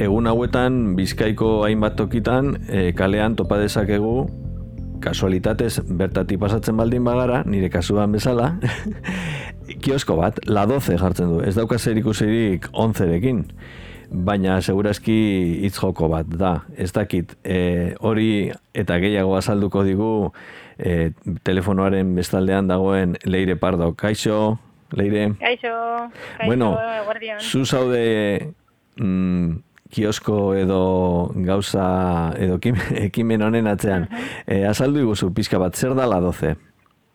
egun hauetan Bizkaiko hainbat tokitan kalean topa dezakegu kasualitatez bertatik pasatzen baldin bagara, nire kasuan bezala, kiosko bat, La 12 jartzen du. Ez dauka zer ikusirik 11rekin, baina segurazki hitz joko bat da. Ez dakit, hori eta gehiago azalduko digu telefonoaren bestaldean dagoen Leire Pardo. Kaixo, Leire? Kaixo, bueno, guardian. zu zaude kiosko edo gauza edo ekimen honen atzean. Azaldu iguzu pixka bat, zer da La 12?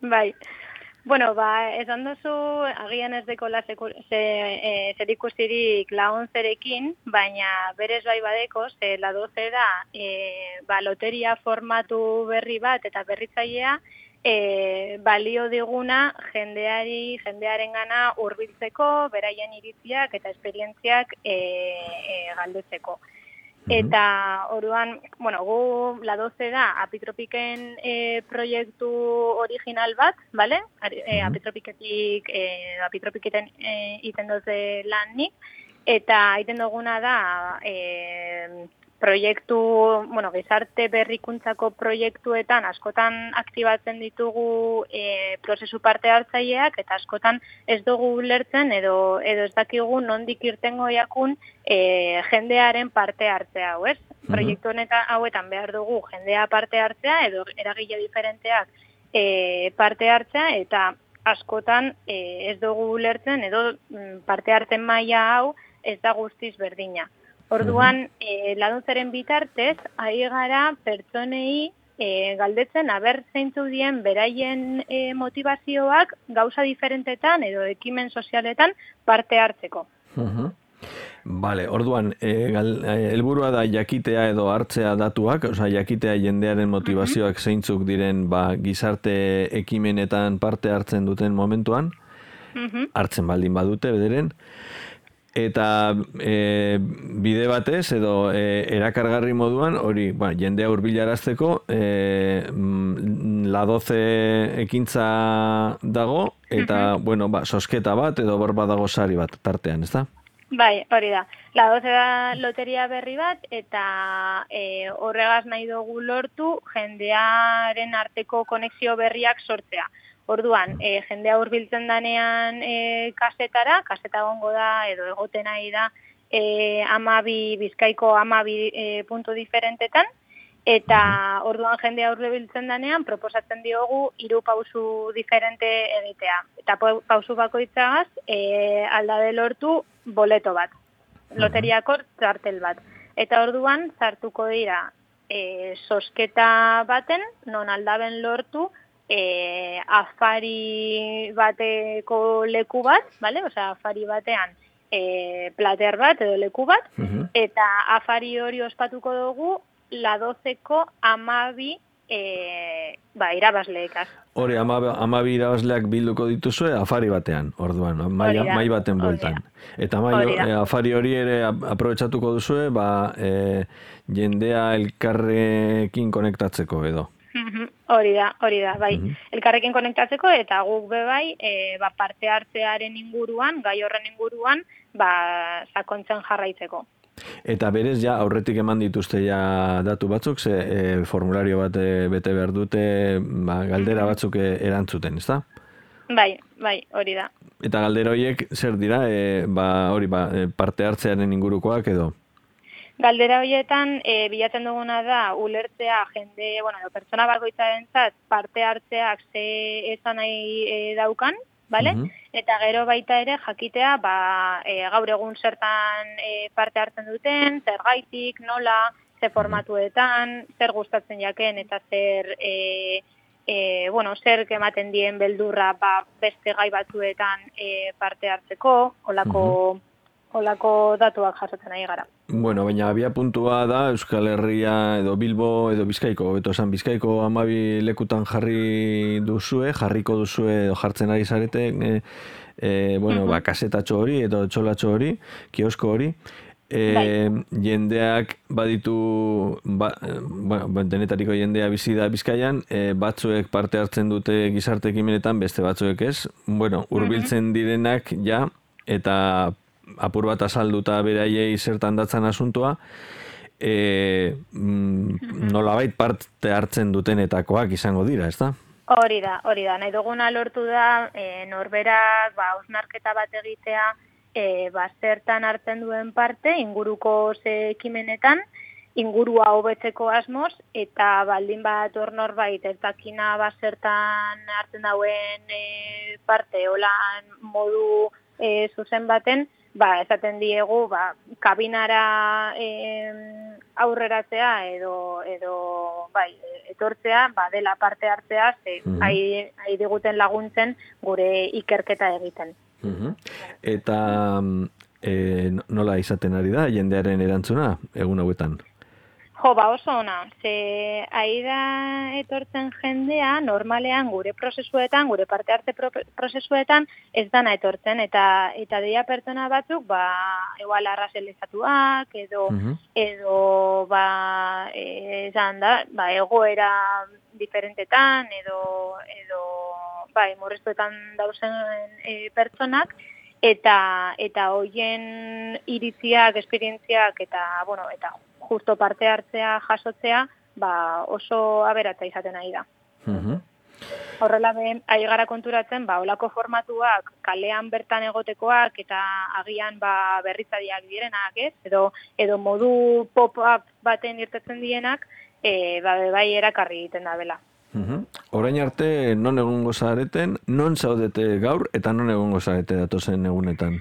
Bai, bueno, esan duzu agian ez dekola zer ikusirik La 11rekin, baina berez bai badeko, La 12 da loteria formatu berri bat eta berritzailea, balio diguna jendearengana hurbiltzeko, beraien iritziak eta esperientziak galdetzeko. Eta orduan, bueno, gu La 12 da Apitropiken proiektu original bat, ¿vale? Apitropiketen iten doze lan nik, eta iten duguna da proiektu, bueno, gizarte berrikuntzako proiektuetan askotan aktibatzen ditugu prozesu parte hartzaileak eta askotan ez dugu ulertzen edo ez dakigu nondik irtengo jakun jendearen parte hartzea, hau ez? Proiektu hauetan behar dugu jendea parte hartzea edo eragile diferenteak parte hartzea eta askotan ez dugu ulertzen edo parte hartzen maila hau ez da guztiz berdina. Orduan, La 12ren bitartez, ari gara pertsonei galdetzen aber zeintzu dien beraien motivazioak gauza diferentetan edo ekimen sozialetan parte hartzeko. Vale, orduan, helburua da jakitea edo hartzea datuak, osea, jakitea jendearen motivazioak zeintzuk diren gizarte ekimenetan parte hartzen duten momentuan, hartzen baldin badute bederen, eta bide batez edo erakargarri moduan hori jendea hurbilarazteko La 12 ekintza dago eta sosketa bat edo badago sari bat tartean, ezta? Bai, hori da. La 12 da loteria berri bat eta horregaz nahi dugu lortu jendearen arteko konexio berriak sortzea. Orduan, jendea hurbiltzen danean kaseta gongo da, edo egoten nahi da, Bizkaiko 12 puntu diferentetan, eta orduan jendea hurbiltzen danean, proposatzen diogu 3 pausu diferente egitea. Eta pausu bakoitzagaz, aldabe lortu boleto bat, loteriako txartel bat. Eta orduan, sartuko dira, sosketa baten, non aldaben lortu, afari bateko leku bat, vale? Osea, afari batean plater bat edo leku bat, eta afari hori ospatuko dugu La 12ko 12 irabazleekaz. Hori, 12 irabazleak bilduko dituzue afari batean, orduan, mai baten bueltan. Eta afari hori ere aprobetxatuko duzue, jendea elkarrekin konektatzeko edo. Hori da, bai. Elkarrekin konektatzeko eta guk bebai parte hartzearen inguruan, gai horren inguruan, sakontzen jarraitzeko. Eta berez, aurretik eman dituzte datu batzuk, formulario bat bete behar dute, galdera batzuk erantzuten, ezta? Bai, hori da. Eta galdera horiek, zer dira, parte hartzearen ingurukoak edo? Galdera horietan, bilatzen duguna da, ulertzea jende, pertsona bakoitzarentzat parte hartzeak ze esan nahi daukan, bale? Eta gero baita ere jakitea, gaur egun zertan parte hartzen duten, zergaitik, nola, ze formatuetan, zer gustatzen jaken eta zer ematen dien beldurra beste gai batzuetan parte hartzeko, holako datuak jasotzen nahi gara. Bueno, baina abia puntua da Euskal Herria edo Bilbo edo Bizkaiko, Bizkaiko 12 lekutan jarriko duzue edo jartzen ari zarete, kasetatxo hori edo txolatxo hori, kiosko hori, jendeak baditu, denetariko jendea bizi da Bizkaian, batzuek parte hartzen dute gizarte ekimenetan, beste batzuek ez, hurbiltzen direnak eta apur bat azalduta beraiei zertan datzan asuntua, nolabait parte hartzen dutenetakoak izango dira, ezta? Hori da. Nahi duguna lortu da, norberak, hausnarketa bat egitea, zertan hartzen duen parte, inguruko ze ekimenetan, ingurua hobetzeko asmoz, eta baldin bat hor norbait ez dakina zertan hartzen dauen parte, holan modu zuzen baten, esaten diegu, kabinara aurreratzea edo etortzea, dela parte hartzea, ari diguten laguntzen gure ikerketa egiten. Eta nola izaten ari da jendearen erantzuna egun hauetan? Oso ona, ze ari da etortzen jendea normalean gure prozesuetan, gure parte hartze prozesuetan ez dana etortzen, eta dira pertsona batzuk, igual arrazelizatuak, edo esan da, egoera diferentetan, edo murriztuetan dauzen pertsonak, eta hoien iritziak, esperientziak, eta justo parte hartzea, jasotzea, oso aberatza izaten ari da. Horrela ari gara konturatzen, olako formatuak kalean bertan egotekoak eta agian berritzaileak direnak, ez? Edo modu pop-up baten irtetzen dienak, bai erakarri egiten da bela. Orain arte, non egongo zareten, non zaudete gaur eta non egongo zarete datozen egunetan?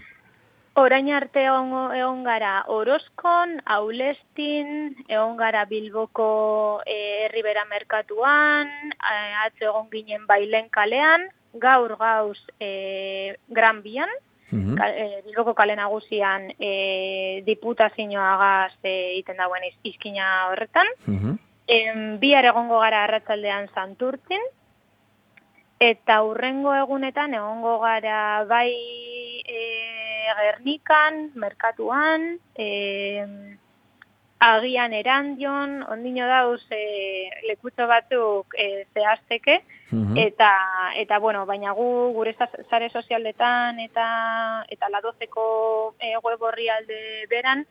Orain arte egon gara Orozkon, Aulestin, egon gara Bilboko Herribera merkatuan, atzo egon ginen Bailen kalean, gaur gauz Gran Bian, Bilboko kale nagusian diputazioagaz egiten dauen izkina horretan, bihar egongo gara arratsaldean Santurtzin, eta hurrengo egunetan egongo gara bai Gernikan, merkatuan, agian Erandion, ondino dauz lekutxo batzuk zehazteke, eta baina gure sare sozialetan eta la 12ko web orrialde beran,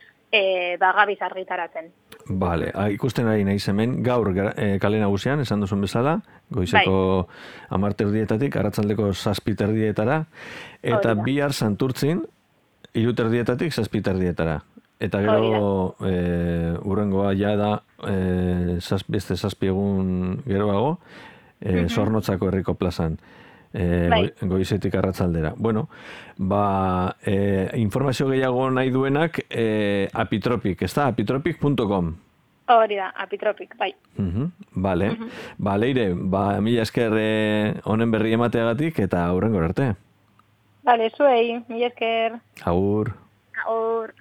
gabiz argitaratzen. Vale, ikusten ari naiz hemen, gaur kale nagusian, esan duzun bezala, goizeko 10:00 arratsaldeko 7:00 eta bihar Santurtzin, 3:00 7:00. Eta gero hurrengoa ja da beste 7 egun geroago, Zornotzako herriko plazan. Goizetik arratsaldera. Bueno, informazio gehiago nahi duenak Apitropic, ez da? Apitropic.com. Hori da, Apitropic, bai. Vale. Leire, mila esker honen berri emateagatik eta hurrengora arte. Vale, zuei, mila esker. Agur. Agur.